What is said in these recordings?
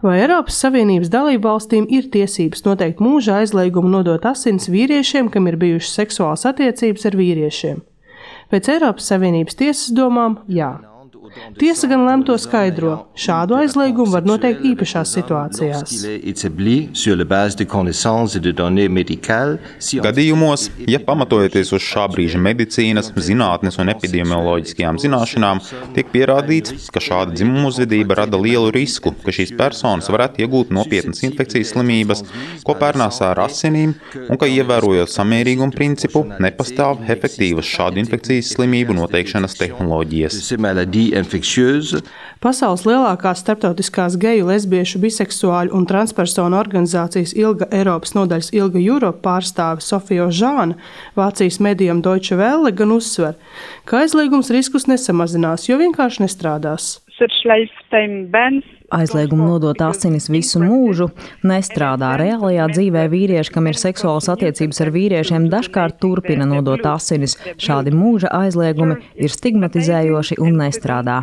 Vai Eiropas Savienības dalībvalstīm ir tiesības noteikt mūža aizliegumu nodot asins vīriešiem, kam ir bijušas seksuālas attiecības ar vīriešiem? Pēc Eiropas Savienības tiesas domām, jā. Tiesa gan lem to skaidro. Šādu aizliegumu var noteikt īpašās situācijās. Gadījumos, ja pamatojoties uz šā brīža medicīnas, zinātnes un epidemioloģiskajām zināšanām, tiek pierādīts, ka šāda dzimuma uzvedība rada lielu risku, ka šīs personas varētu iegūt nopietnas infekcijas slimības, ko pērnāsā ar asinīm, un ka ievērojot samērīgumu principu, nepastāv efektīvas šādu infekcijas slimību noteikšanas tehnoloģijas. Pasaules lielākās starptautiskās geju, lesbiešu, biseksuāļu un transpersonu organizācijas ILGA Eiropas nodaļas ILGA Europe pārstāve Sofija Žāna Vācijas medijam Deutsche Welle gan uzsver, ka aizliegums riskus nesamazinās, jo vienkārši nestrādās. Aizliegumu nodot asinis visu mūžu nestrādā. Reālajā dzīvē vīrieši, kam ir seksuālas attiecības ar vīriešiem, dažkārt turpina nodot asinis. Šādi mūža aizliegumi ir stigmatizējoši un nestrādā.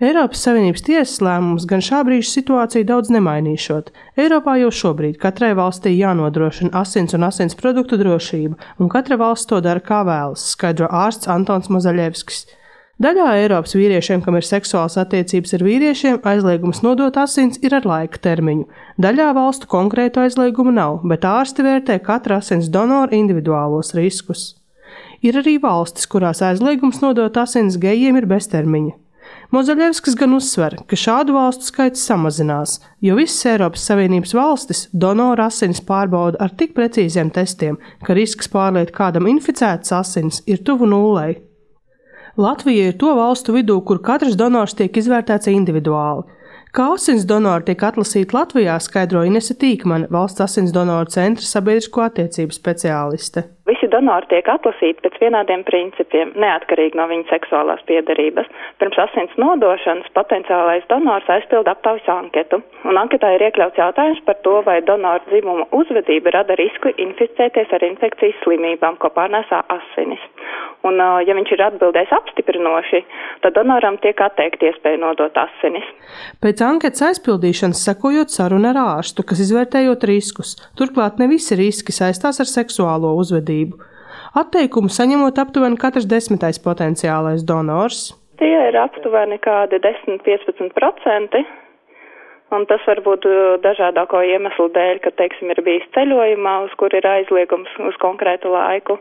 Eiropas Savienības tiesas lēmums gan šā brīža situāciju daudz nemainīšot. Eiropā jau šobrīd katrai valstī jānodrošina asins un asins produktu drošība, un katra valsts to dara kā vēlas, skaidro ārsts Antons Mazaļevskis. Daļā Eiropas vīriešiem, kam ir seksuālas attiecības ar vīriešiem, aizliegums nodot asins ir ar laika termiņu. Daļā valstu konkrētu aizliegumu nav, bet ārsti vērtē katra asins donora individuālos riskus. Ir arī valstis, kurās aizliegums nodot asins gejiem ir beztermiņa. Mazaļevskis gan uzsver, ka šādu valstu skaits samazinās, jo visas Eiropas Savienības valstis donoru asinis pārbauda ar tik precīziem testiem, ka risks pārliet kādam inficētas asins ir tuvu nulei. Latvija ir to valstu vidū, kur katrs donors tiek izvērtēts individuāli. Kā asins donori tiek atlasīti Latvijā, skaidro Inese Tīkmane, Valsts asins donoru centra sabiedrisko attiecību speciāliste. Visi donori tiek atlasīti pēc vienādiem principiem, neatkarīgi no viņa seksuālās piederības. Pirms asins nodošanas potenciālais donors aizpilda aptaujas anketu, un anketā ir iekļauts jautājums par to, vai donoru dzimuma uzvedība rada risku inficēties ar infekcijas slimībām, ko pārnēsā asinis. Un, ja viņš ir atbildējis apstiprinoši, tad donoram tiek atteikta iespēja nodot asinis. Pēc anketas aizpildīšanas sekojot saruna ar ārstu, kas izvērtējot riskus. Turklāt ne visi riski saistās ar seksuālo uzvedību. Atteikumu saņemot aptuveni katrs 10. potenciālais donors. Tie ir aptuveni kādi 10–15%. Un tas var būt dažādāko iemeslu dēļ, ka, teiksim, ir bijis ceļojumā, uz kur ir aizliegums uz konkrētu laiku.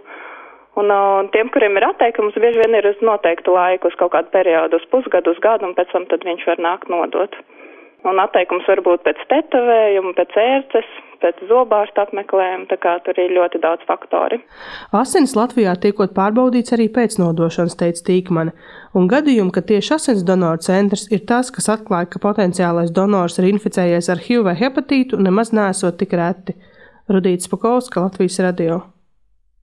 Un tiem, kuriem ir atteikums, bieži vien ir uz noteiktu laiku, uz kaut kādu periodu, uz pusgadu, uz gadu, un pēc tam tad viņš var nākt nodot. Un atteikums var būt pēc tetovējuma, pēc ērces, pēc zobārsta apmeklējuma, tā kā tur ir ļoti daudz faktori. Asins Latvijā tiekot pārbaudīts arī pēc nodošanas, teica Tīkmane, un gadījumi, ka tieši asins donoru centrs ir tas, kas atklāja, ka potenciālais donors ir inficējies ar HIV vai hepatītu, nemaz neesot tik reti. Rudīta Spakovska, Latvijas radio.